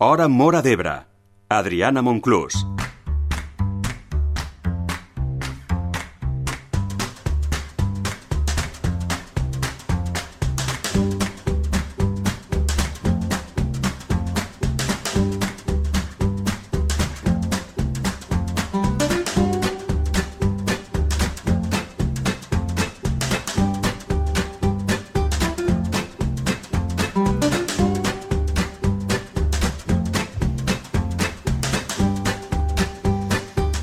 Hora Móra d'Ebre. Adriana Monclús.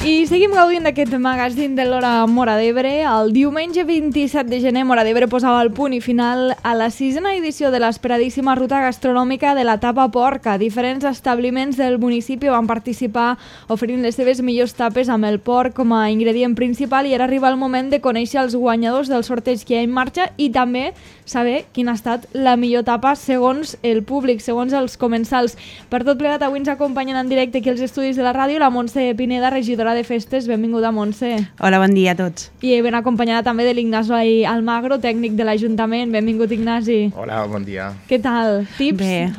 I seguim gaudint d'aquest magazín de l'Hora Móra d'Ebre. El diumenge 27 de gener, Móra d'Ebre posava el punt i final a la 6a edició de l'esperadíssima ruta gastronòmica de la tapa porca. Diferents establiments del municipi van participar oferint les seves millors tapes amb el porc com a ingredient principal, i ara arriba el moment de conèixer els guanyadors del sorteig que hi ha en marxa i també saber quina ha estat la millor tapa segons el públic, segons els comensals. Per tot plegat, avui ens acompanyen en directe aquí als estudis de la ràdio la Montse Pineda, regidora de festes. Benvinguda, Montse. Hola, bon dia a tots. I ben acompanyada també de l'Ignasi Almagro, tècnic de l'Ajuntament. Benvingut, Ignasi. Hola, bon dia. Què tal? Tips? Bé,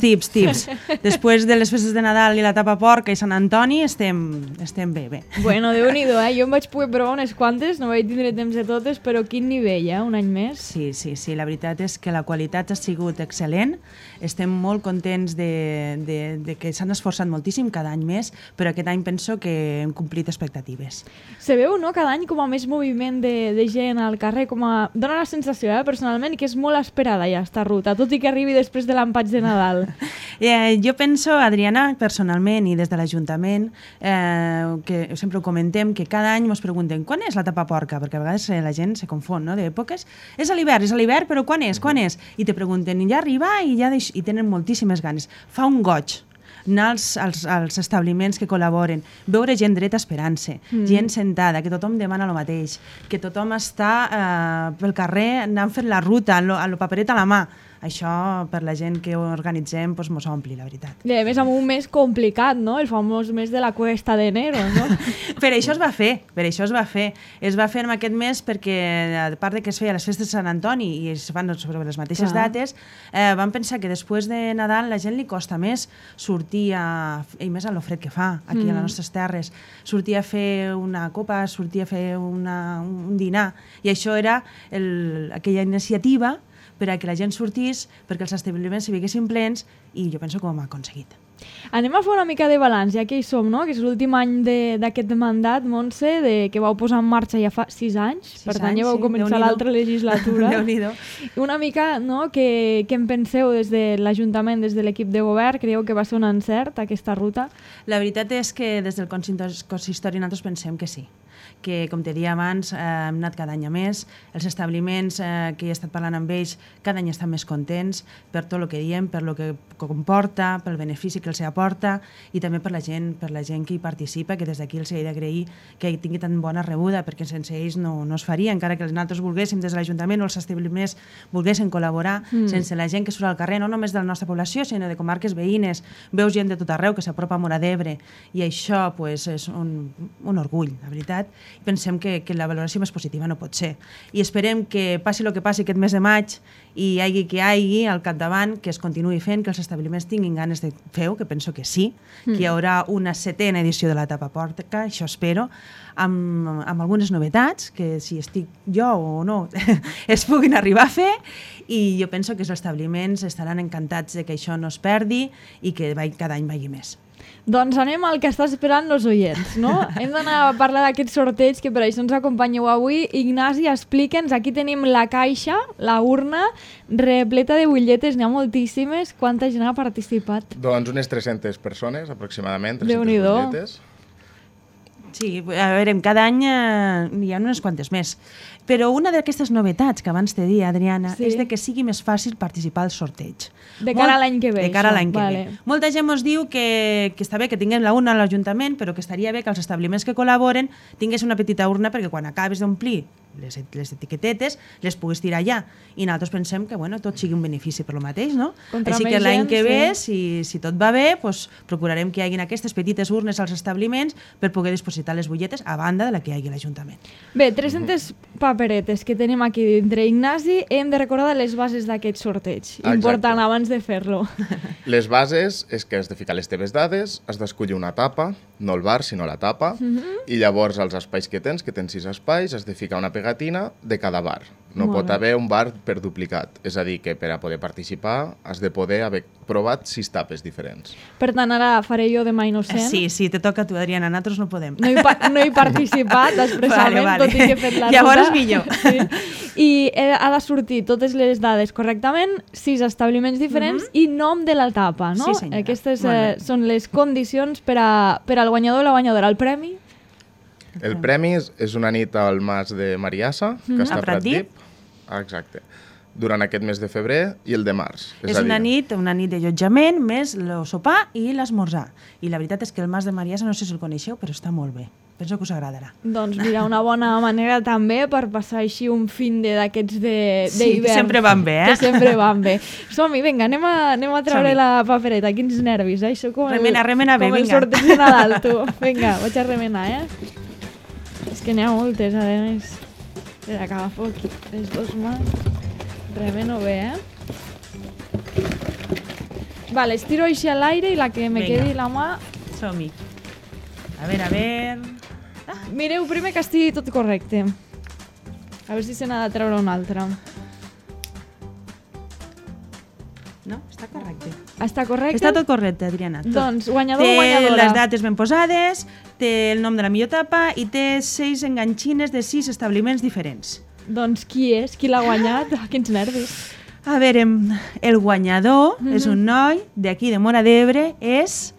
tips. Després de les festes de Nadal i la tapa porca i Sant Antoni estem bé. Bueno, Déu-n'hi-do, Jo em vaig poder provar unes quantes, no vaig tindre temps de totes, però quin nivell, un any més? Sí, la veritat és que la qualitat ha sigut excel·lent. Estem molt contents de que s'han esforçat moltíssim cada any més, però aquest any penso que hem complit expectatives. Se veu, no?, cada any com a més moviment de gent al carrer, dona la sensació, personalment, que és molt esperada ja esta ruta, tot i que arribi després de l'empatx de Nadal. Jo penso, Adriana, personalment i des de l'Ajuntament, que sempre ho comentem, que cada any ens preguntem quan és la tapa porca, perquè a vegades la gent se confon, no?, d'èpoques. És a l'hivern, però quan és? I te pregunten, i ja arriba, i tenen moltíssimes ganes. Fa un goig anar als establiments que col·laboren, veure gent dreta esperant-se, gent sentada, que tothom demana el mateix, que tothom està pel carrer anant fent la ruta, amb el paperet a la mà. Això, per la gent que ho organitzem, mos ompli, la veritat. I a més, amb un mes complicat, no? El famós mes de la cuesta d'enero, no? Per això es va fer. Es va fer en aquest mes perquè, a part de que es feia les festes de Sant Antoni i es fan sobre les mateixes dates, vam pensar que després de Nadal la gent li costa més sortir i més a lo fred que fa, aquí a les nostres terres, sortir a fer una copa, sortir a fer un dinar. I això era aquella iniciativa per a que la gent sortís, perquè els establiments s'hi veiessin plens, i jo penso que ho hem aconseguit. Anem a fer una mica de balanç, ja que hi som, no? Que és l'últim any d'aquest mandat, Montse, que vau posar en marxa ja fa 6 anys, per tant ja vau començar l'altra legislatura. Déu-n'hi-do. Una mica, no?, què en penseu des de l'Ajuntament, des de l'equip de govern? Creieu que va ser un encert, aquesta ruta? La veritat és que des del consistori nosaltres pensem que sí, que, com te deia abans, hem anat cada any a més. Els establiments que he estat parlant amb ells cada any estan més contents per tot el que diem, per el que comporta, pel benefici que els aporta i també per la gent que hi participa, que des d'aquí els he d'agrair que tingui tan bona rebuda, perquè sense ells no es faria, encara que nosaltres volguéssim des de l'Ajuntament o els establiments volguessin col·laborar, sense la gent que surt al carrer, no només de la nostra població, sinó de comarques veïnes. Veus gent de tot arreu que s'apropa a Móra d'Ebre i això és un orgull, la veritat. Pensem que la valoració més positiva no pot ser. I esperem que passi el que passi aquest mes de maig i hi hagi que hi hagi al capdavant, que es continuï fent, que els establiments tinguin ganes de fer-ho, que penso que sí, que hi haurà una 7a edició de la tapa porca, això espero, amb algunes novetats, que si estic jo o no es puguin arribar a fer, i jo penso que els establiments estaran encantats de que això no es perdi i que cada any vagi més. Doncs anem al que està esperant els oients, no? Hem d'anar a parlar d'aquest sorteig, que per això ens acompanyeu avui. Ignasi, explica'ns, aquí tenim la caixa, la urna, repleta de butlletes, n'hi ha moltíssimes. Quanta gent ha participat? Doncs unes 300 persones, aproximadament, 300 Déu-n'hi-do. butlletes. Sí, a veure, cada any hi ha unes quantes més. Però una d'aquestes novetats que abans te dia, Adriana, és de que sigui més fàcil participar al sorteig. De cara a l'any que ve. De cara a l'any que ve. Molta gent ens diu que està bé que tinguem la urna a l'Ajuntament, però que estaria bé que els establiments que col·laboren tingués una petita urna perquè quan acabes d'omplir les etiquetetes, les puguis tirar allà. I nosaltres pensem que tot sigui un benefici per lo mateix, no? Contra Així més que l'any gent, que ve, sí. si tot va bé, procurarem que hi hagi aquestes petites urnes als establiments per poder dipositar les butlletes a banda de la que hi hagi a l'Ajuntament. Bé, 300 paperetes que tenim aquí dintre. Ignasi, hem de recordar les bases d'aquest sorteig. Important abans de fer-lo. Les bases és que has de ficar les teves dades, has d'escollir una tapa, no el bar, sinó la tapa, i llavors als espais que tens 6 espais, has de ficar una pegatina de cada bar. No pot haver un bar per duplicat. És a dir, que per a poder participar has de poder haver provat 6 tapes diferents. Per tant, ara faré jo de mà innocent. Sí, te toca a tu, Adriana, nosaltres no podem. No he participat expressament, vale. Tot i que he fet la ruta. Llavors millor. Sí. I ha de sortir totes les dades correctament, 6 establiments diferents i nom de la tapa, no? Sí, senyora. Aquestes són les condicions per al guanyador o la guanyadora. El premi? El premi és una nit al Mas de Mariassa, que està a Pratdip. Exacte. Durant aquest mes de febrer i el de març. És una nit d'allotjament, més el sopar i l'esmorzar. I la veritat és que el Mas de Mariassa, no sé si el coneixeu, però està molt bé. Penso que us agradarà. Doncs mira, una bona manera també per passar així un fin d'aquests d'hivern. Sí, que sempre van bé, Que sempre van bé. Som-hi, vinga, anem a treure la papereta. Quins nervis, eh? Això com remena bé, vinga. Com el vinga. sorteig de Nadal, tu. Vinga, vaig a remenar, És que n'hi ha moltes, a més. Espera, que agafo aquí les 2 mans. Remeno bé, Vale, estiro així a l'aire i la que me quedi la mà... Som-hi. A veure... Mireu primer que estigui tot correcte. A veure si se n'ha de treure una altra. No, està correcte. Està correcte? Està tot correcte, Adriana. Tot. Doncs guanyador o té guanyadora. Les dates ben posades, té el nom de la millor tapa i té 6 enganxines de 6 establiments diferents. Doncs qui és? Qui l'ha guanyat? Quins nervis. A veure, el guanyador és un noi d'aquí de Móra d'Ebre, és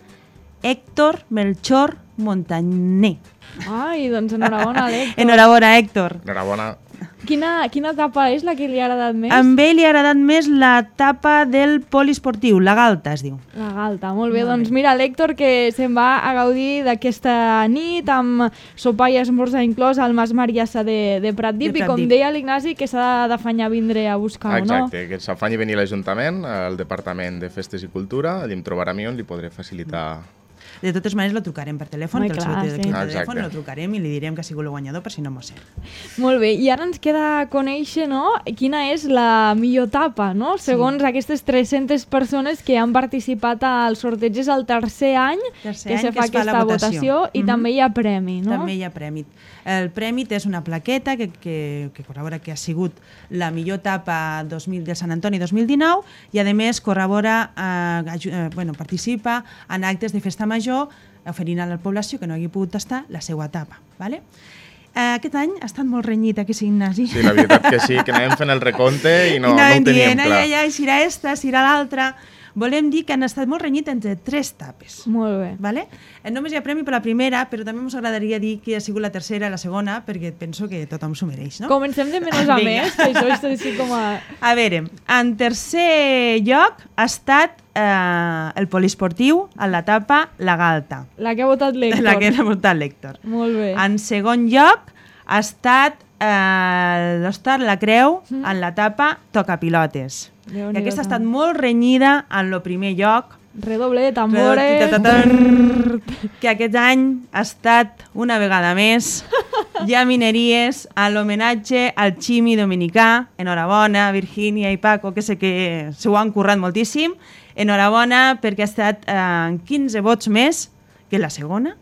Héctor Melchor Montaner. Ai, doncs enhorabona, Héctor. Enhorabona, Héctor. Enhorabona. Quina tapa és la que li ha agradat més? A ell li ha agradat més la tapa del poliesportiu, la Galta es diu. La Galta, molt bé. Doncs mira, l'Héctor que se'n va a gaudir d'aquesta nit amb sopar i esmorzar inclòs al Mas Mariassa de Pratdip i com deia l'Ignasi que s'ha d'afanyar a vindre a buscar-ho, no? Exacte, que s'afanyi a venir a l'Ajuntament, al Departament de Festes i Cultura, allà em trobarà a mi on li podré facilitar. De totes maneres, lo trucarem per telèfon, Home, que clar, el seu sí. telèfon lo trucarem i li direm que ha sigut el guanyador per si no m'ho sé. Molt bé, i ara ens queda conèixer, no?, quina és la millor tapa, no? Segons aquestes 300 persones que han participat al sorteig, és el tercer any que se fa aquesta votació i també hi ha premi, no? També hi ha premi. El premi és una plaqueta que corrobora que ha sigut la millor tapa de Sant Antoni 2019 i, a més, corrobora, participa en actes de festa major oferint a la població que no hagi pogut tastar la seva tapa. Vale? Aquest any ha estat molt renyit, que sí, Ignasi? Sí, la veritat que sí, que anàvem fent el recompte i no ho teníem clar. Ai, si era esta, si era l'altra... Volem dir que han estat molt renyit entre 3 tapes. Molt bé. Vale? Només hi ha premi per la primera, però també ens agradaria dir que ha sigut la tercera i la segona, perquè penso que tothom s'ho mereix, no? Comencem de menys a més, que això és així com a... A veure, en tercer lloc ha estat el poliesportiu en la tapa La Galta. La que ha votat l'Héctor. La que ha votat l'Héctor. Molt bé. En segon lloc ha estat l'Hostal La Creu en la tapa Tocapilotes. I aquesta ha estat molt renyida en el primer lloc. Redoble de tambores. Que aquest any ha estat una vegada més ja mineries a l'homenatge al Ximi Dominicà. Enhorabona, Virgínia i Paco, que sé que s'ho han currat moltíssim. Enhorabona perquè ha estat 15 vots més que la segona,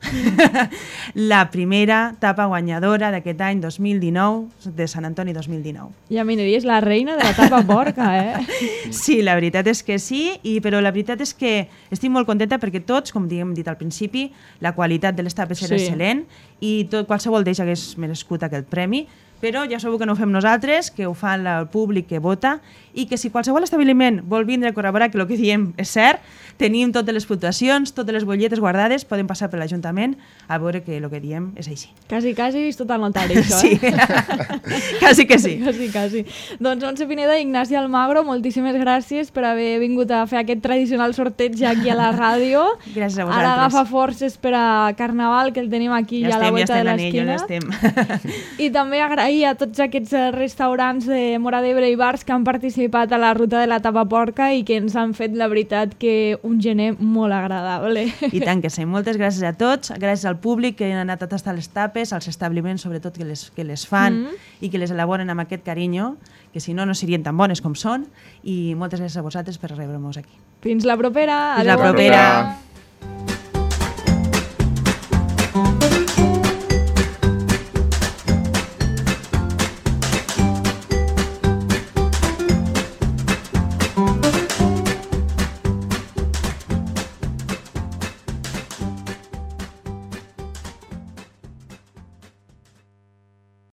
la primera tapa guanyadora d'aquest any 2019, de Sant Antoni 2019. I a Mineria és la reina de la tapa porca, Sí, la veritat és que sí, però la veritat és que estic molt contenta perquè tots, com hem dit al principi, la qualitat de les tapes era excel·lent i qualsevol d'ells hagués merescut aquest premi, però ja sabeu que no ho fem nosaltres, que ho fa el públic que vota i que si qualsevol establiment vol vindre a corroborar que el que diem és cert, tenim totes les puntuacions, totes les butlletes guardades, poden passar per l'Ajuntament a veure que el que diem és així. Quasi vist tot el notari, això, Sí, quasi que sí. Quasi. Doncs Montse Pineda i Ignasi Almagro, moltíssimes gràcies per haver vingut a fer aquest tradicional sorteig aquí a la ràdio. Gràcies a vosaltres. Ara agafa forces per a Carnaval, que el tenim aquí ja a la volta de l'esquina. Ja estem. I també agrair i a tots aquests restaurants de Móra d'Ebre i bars que han participat a la ruta de la tapa porca i que ens han fet, la veritat, que un gener molt agradable. I tant que sí. Moltes gràcies a tots, gràcies al públic que han anat a tastar les tapes, als establiments sobretot que les fan i que les elaboren amb aquest carinyo, que si no, no serien tan bones com són, i moltes gràcies a vosaltres per rebre-nos aquí. Fins la propera! Fins la propera!